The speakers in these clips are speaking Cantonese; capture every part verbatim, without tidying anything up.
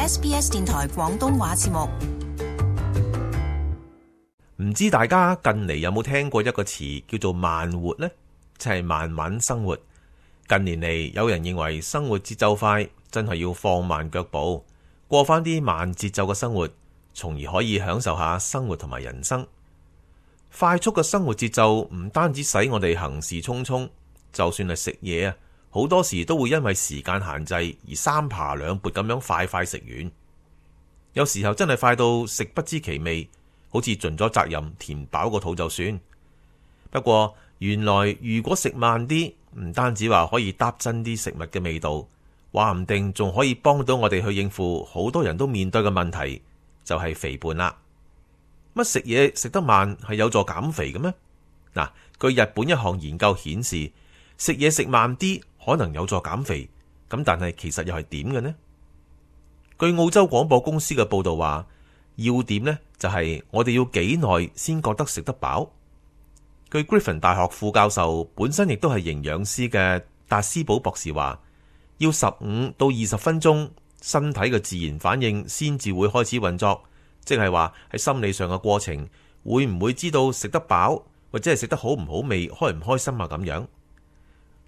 S B S 電台廣東話節目。唔知大家近嚟有冇聽過一個詞叫做慢活呢？即係慢慢生活。近年嚟，有人認為生活節奏快，真係要放慢腳步，過翻啲慢節奏嘅生活，從而可以享受下生活同埋人生。快速嘅生活節奏唔單止使我哋行事匆匆，就算係食嘢啊，好多時都會因為時間限制而三扒兩撥咁樣快快食完。有時候真係快到食不知其味，好似盡咗責任填飽個肚就算。不過原來如果食慢啲，唔單止話可以搭真啲食物嘅味道，話唔定仲可以幫到我哋去應付好多人都面對嘅問題，就係肥胖啦。乜食嘢食得慢係有助減肥嘅咩？嗱，據日本一項研究顯示，食嘢食慢啲可能有助減肥，咁但係其實又係點嘅呢？據澳洲廣播公司嘅報道話，要點呢就係我哋要幾耐先覺得食得飽。據 Griffin 大學副教授本身亦都係營養師嘅達斯堡博士話，要十五到二十分鐘，身體嘅自然反應先至會開始運作，即係話喺心理上嘅過程，會唔會知道食得飽或者係食得好唔好味，開唔開心啊咁樣。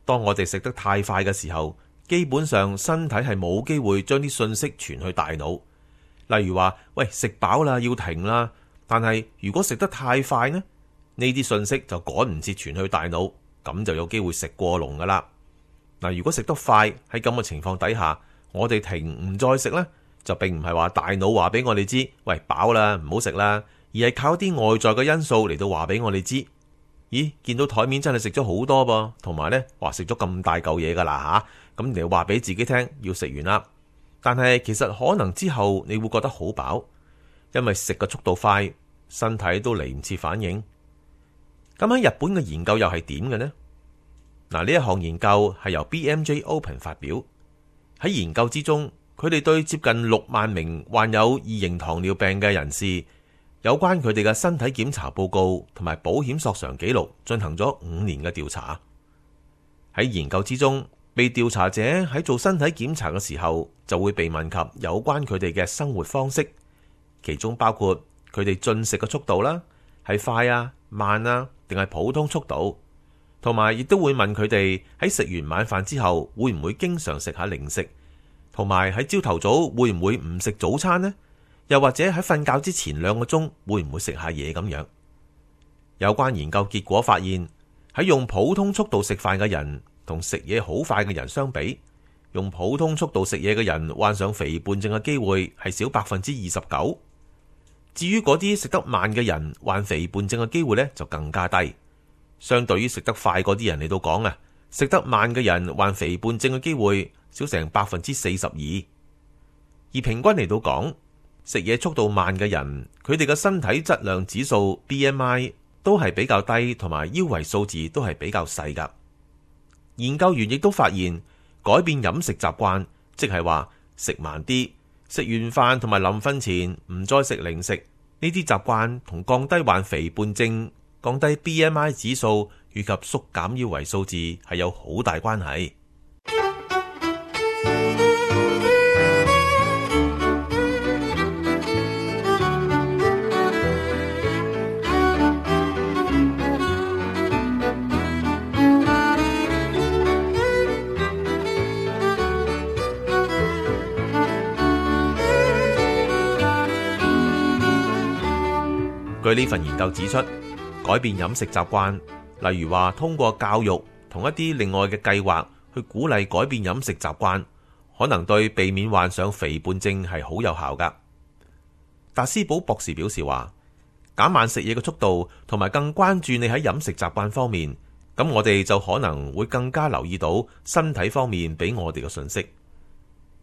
當我哋食得太快嘅時候，基本上身體係冇機會將啲信息傳去大腦。例如話，喂，食飽啦，要停啦。但係如果食得太快呢，呢啲信息就趕唔切傳去大腦，咁就有機會食過籠噶啦。嗱，如果食得快，喺咁嘅情況底下，我哋停唔再食呢，就並唔係話大腦話俾我哋知，喂，飽啦，唔好食啦，而係靠啲外在嘅因素嚟到話俾我哋知。咦，見到台面真係食咗好多噃，同埋呢話食咗咁大嚿嘢噶啦吓，咁你話俾自己聽要食完啦。但係其實可能之後你會覺得好飽，因為食嘅速度快，身體都嚟唔切反應。咁喺日本嘅研究又係點嘅呢？嗱，呢一項研究係由 B M J Open 發表。喺研究之中，佢哋對接近六萬名患有二型糖尿病嘅人士，有關佢哋嘅身體檢查報告同埋保險索償記錄進行咗五年嘅調查。喺研究之中，被調查者喺做身體檢查嘅時候，就會被問及有關佢哋嘅生活方式，其中包括佢哋進食嘅速度啦，係快啊、慢啊，定係普通速度，同埋亦都會問佢哋喺食完晚飯之後會唔會經常食下零食，同埋喺朝頭早會唔會唔食早餐呢？又或者喺瞓覺之前兩個鐘會唔會食下嘢咁樣？有關研究結果發現，喺用普通速度食飯嘅人同食嘢好快嘅人相比，用普通速度食嘢嘅人患上肥胖症嘅機會係少百分之二十九。至於嗰啲食得慢嘅人患肥胖症嘅機會呢，就更加低。相對於食得快嗰啲人嚟到講啊，食得慢嘅人患肥胖症嘅機會少成百分之四十二。而平均嚟到講，食嘢速度慢嘅人，佢哋嘅身體質量指數 B M I 都係比較低，同埋腰圍數字都係比較細噶。研究員亦都發現，改變飲食習慣，即係話食慢啲，食完飯同埋臨瞓前唔再食零食，呢啲習慣同降低患肥胖症、降低 B M I 指數以及縮減腰圍數字係有好大關係。據呢份研究指出，改變飲食習慣，例如話通過教育同一啲另外嘅計劃去鼓勵改變飲食習慣，可能對避免患上肥胖症係好有效噶。達斯堡博士表示話，減慢食嘢嘅速度，同埋更關注你喺飲食習慣方面，咁我哋就可能會更加留意到身體方面俾我哋嘅信息。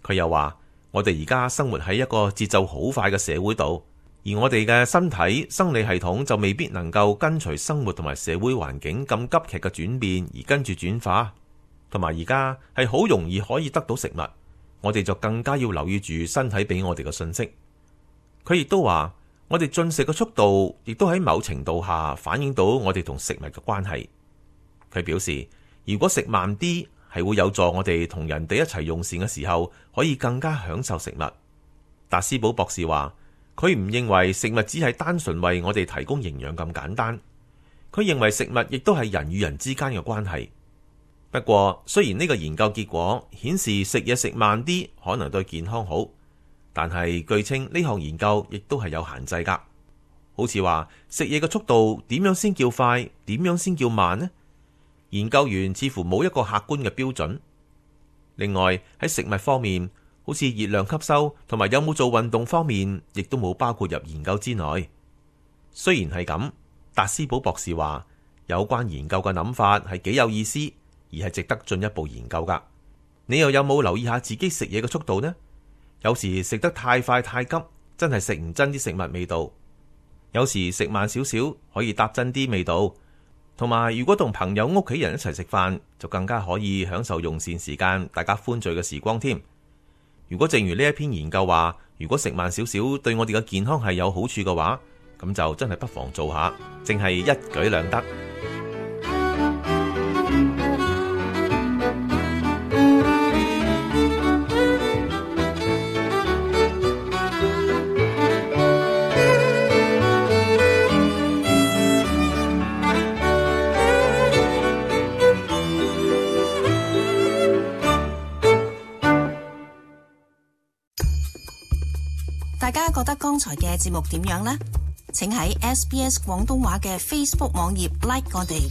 佢又話，我哋而家生活喺一個節奏好快嘅社會度。而我哋嘅身體生理系統就未必能夠跟隨生活同埋社會環境咁急劇嘅轉變而跟住轉化，同埋而家係好容易可以得到食物，我哋就更加要留意住身體俾我哋嘅信息。佢亦都話，我哋進食嘅速度亦都喺某程度下反映到我哋同食物嘅關係。佢表示，如果食慢啲，係會有助我哋同人哋一齊用膳嘅時候可以更加享受食物。達斯堡博士話，佢唔認為食物只係單純為我哋提供營養咁簡單，佢認為食物亦都係人與人之間嘅關係。不過，雖然呢個研究結果顯示食嘢食慢啲可能對健康好，但係據稱呢項研究亦都係有限制㗎。好似話食嘢嘅速度點樣先叫快，點樣先叫慢呢？研究員似乎冇一個客觀嘅標準。另外喺食物方面，好似熱量吸收同埋有冇做運動方面，亦都冇包括入研究之內。雖然係咁，達斯堡博士話有關研究嘅諗法係幾有意思，而係值得進一步研究㗎。你又有冇留意下自己食嘢嘅速度呢？有時食得太快太急，真係食唔真啲食物味道。有時食慢少少，可以搭真啲味道。同埋，如果同朋友、屋企人一齊食飯，就更加可以享受用膳時間，大家歡聚嘅時光添。如果正如呢一篇研究話，如果食慢少少對我哋嘅健康係有好處嘅話，咁就真係不妨做下，淨係一舉兩得。大家覺得剛才嘅節目點樣呢？請喺 S B S 廣東話嘅 Facebook 網頁 like 我哋。